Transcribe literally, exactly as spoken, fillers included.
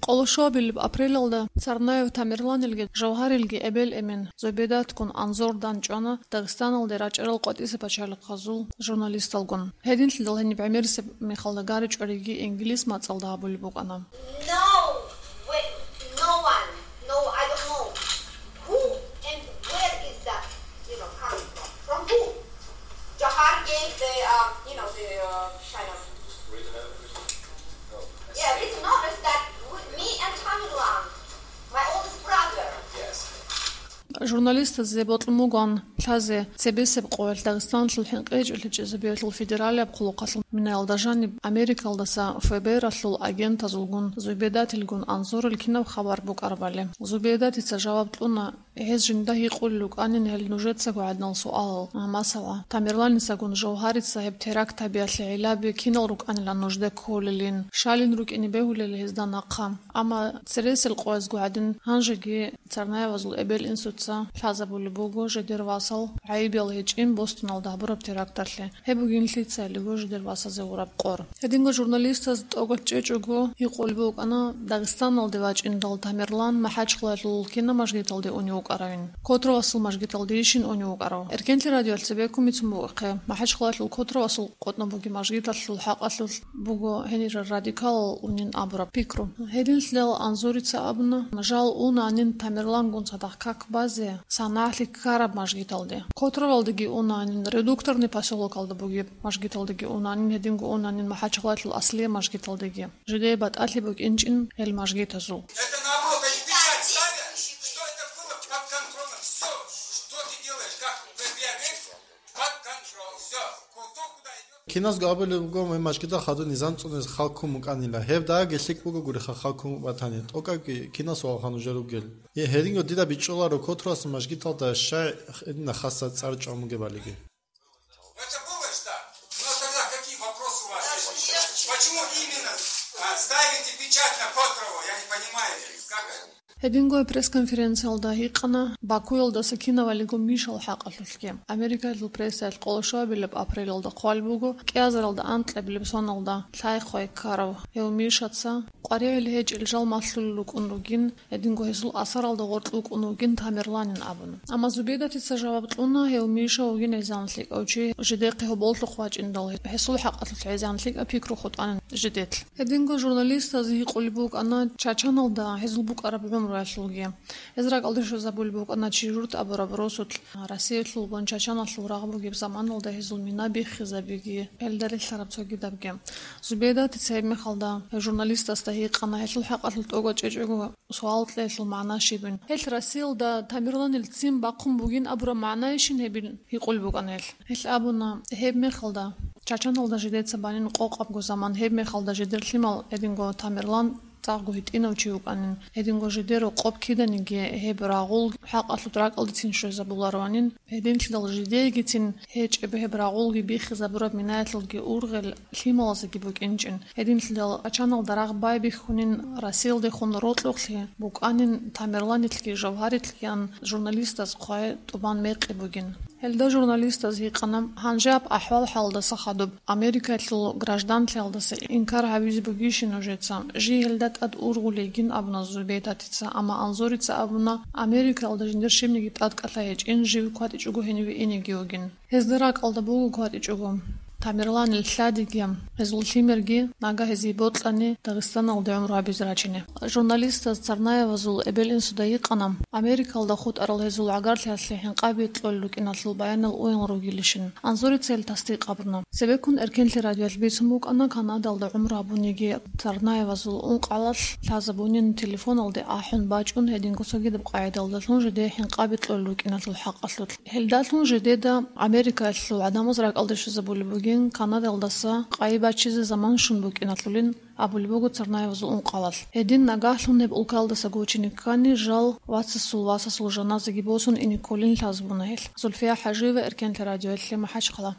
Къолошуабилеб апрелалда Царнаев Тамерланилги Жавгьарилги эбел-эмен Зубедатгун анзор данчӀвана Дагъистаналде рачӀарал къватӀиса пачалихъазул журналисталгун. Гьединлъидал гьениб гӀемерисеб мехалда гьаричӀориги инглис мацӀалда гьабулеб букӀана. No, wait, no one. No, I don't know. Who and where is that, you know, coming from? From who? Jawhar gave the, uh, you know, the, uh, kind of, yeah, written notice that w-, me and Tamerlan, my oldest brother. Журналистазе бокьун бугоан лъазе цебесеб къоялъ Дагъистаналъул хӀинкъичӀел гьечӀезабиялъул федералияб хъулухъалъул минаялда жаниб Америкалдаса ФБР-алъул агентазулгун Зубедатилгун анзорил кинаб хабар букӀарабали. Зубедатица жаваб кьуна, гьез жинда гьикъулел рукӀанин гьел нужецаго гӀадинал суалал. Масала, Тамерланисагун Жавгьарица гьеб теракт гьабиялъе гӀиллаби кинал рукӀанилан нужде кколелин, щалин рукӀине бегьулел гьезда нахъа. Амма цересел къоязго гӀадин, гьанжеги Царнаевазул эбел-инсуца лъазабулеб буго жидер васал гӀайибал гьечӀин Бостоналда гьабураб теракталъе. Гьеб бугин лъицайилго жидер васазе гьураб къор. Гьединго журналистаз тӀокӀав чӀечӀого гьикъулеб букӀана Дагъистаналде вачӀиндал Тамерлан МахӀачхъалаялъул кинаб мажгиталде унев вукӀаравин. Котровасул мажгиталдейищин унев вукӀарав? Эркенлъи радиоялъ цебеккун бицун бугохъе, МахӀачхъалаялъул Котровасул къотӀноб бугеб мажгиталъул хӀакъалъулъ буго гьенир радикалал унин абураб пикру. Гьединлъидал Анзорица абуна, жал унанин Тамерлангун цадахъ как базе, санагӀлъи ккараб мажгиталде. Котровалдаги унанин, Редукторный посёлокалда бугеб мажгиталдаги унанин, гьединго унанин МахӀачхъалаялъул аслияб мажгиталдаги. Жидее батӀалъи букӀинчӀин гьел мажгитазул. Это наоборот, они печать ставят, что это было под контролем. Всё, что ты делаешь, как в П П А, под контроль. Всё, кто куда идёт. Киназго абулеб буго, мажгитал хадуб низам цӀунез халкун букӀанила. Гьеб дагьабги лъикӀ бугогуриха халкун батани, тӀокӀабги кинас валха нужер ругел. Е, гьединго дида бичӀчӀуларо Котровасул мажгиталда щай гьедина хасса цӀар чӀван бугебалиги. Это было, да. Но тогда какие вопросы у вас есть? Почему именно, а, ставите печать на Котрово? Я не понимаю. Как это? Гьединго пресс-конференциялда гьикъана Бакуялдаса кинавалиго Мишал хӀакъалъулъги. Америкалъул прессаялъ къолошуабилеб апрелалда хъвалеб буго, кӀиазаралда анкьабилеб соналда лъай-хъвай ккарав гьев Мишаца къваригӀел гьечӀел жал малъулел рукӀун ругин, гьединго гьесул асаралда гъоркь вукӀун вугин Тамерланин абун. Амма Зубедатица жаваб кьуна, гьев Миша вугин гӀезегӀан лъикӀав чи, жидехъе гьоболлъухъ вачӀиндал гьесул хӀакъалъулъ гӀезегӀан лъикӀаб пикру хутӀанин жидетлъ. Гьединго журналистаз гьикъулеб букӀана Чачаналда гьезул букӀараб гӀумруялъулги. Гьез ракӀалде щвезабулеб букӀана Чижурт абураб росулъ, Россиялъулгун Чачаналъул рагъ бугеб заманалда гьезул мина биххизабиги, гьелда релълъараб цогидабги. Зубедатица гьеб мехалда журналистасда гьикъана, гьелъул хӀакъалъулъ тӀокӀав чӀечӀого суал кьеялъул магӀна щибин. Гьелъ Россиялда Тамерланил ццин бахъун бугин абураб магӀнайищин гьебин гьикъулеб букӀана гьелъ. Гьелъ абуна, гьеб мехалда Чачаналда жидеца банин къокъабго заман, гьеб мехалда жидер лъимал гьединго Тамерлан цӀакъго гьитӀинав чи вукӀанин, гьединго жидер рокъоб киданиги гьеб рагъул хӀакъалъулъ ракӀалдецин щвезабулароанин, гьединлъидал жидеегицин гьечӀеб гьеб рагъулги биххизабураб минаялъулги ургъел лъималазеги букӀинчӀин. Гьединлъидал Чачаналда рагъ байбихьунин Россиялдехун рокьухълъи букӀанин Тамерланилъги Жавгьарилъгиян журналистаз хъвай тӀубан мекъи бугин. Гьелда журналистаз гьикъана, гьанжеб ахӀвал-хӀалдаса хадуб Америкалъул гражданлъиялдаса инкар гьавизе бугищин нужеца? Жий гьелда тӀад ургъулейгин абуна Зубедатица, амма Анзорица абуна, Америкалда жиндир щибниги тӀадкӀалъа гьечӀин, жив кватӀичӀого гьениве инеги вугин. Гьезда ракӀалда буго кватӀичӀого Тамерланил лъадиги, гьезул лъимерги нагагь гьезие бокьани Дагъистаналде гӀумру гьабизе рачине. Журналистаз Царнаевазул эбел-инсуда гьикъана, Америкалда хутӀарал гьезул гӀагарлъиялъе хӀинкъаби кьолел рукӀиналъул баянал уян ругилищин. Анзорица гьел тасдикъ абуна. Цебеккун Эркенлъи радиоялъ бицун букӀана, Канадалда гӀумру гьабуниги Царнаевазул ункъгӀалалъ лъазабунин телефоналде ахӀун бачӀун, гьединго цогидаб къагӀидалдалъун жидее хӀинкъаби кьолел рукӀиналъул хӀакъалъулъ. Гьелдалъун жидеда Америкаялъул гӀадамаз ракӀалде щвезабулеб бугин, Канадалдаса къайи бачизе заман щун букӀиналъулин абулеб буго Царнаевазул ункъгӀалалъ. Гьедин нагагьлъун гьеб улкалдаса гучине ккани, жал вацасул васасул жаназаги босун ине кколин лъазабуна гьелъ. Зульфия ХӀажиева, Эркенлъи радиоялъе, МахӀачхъала.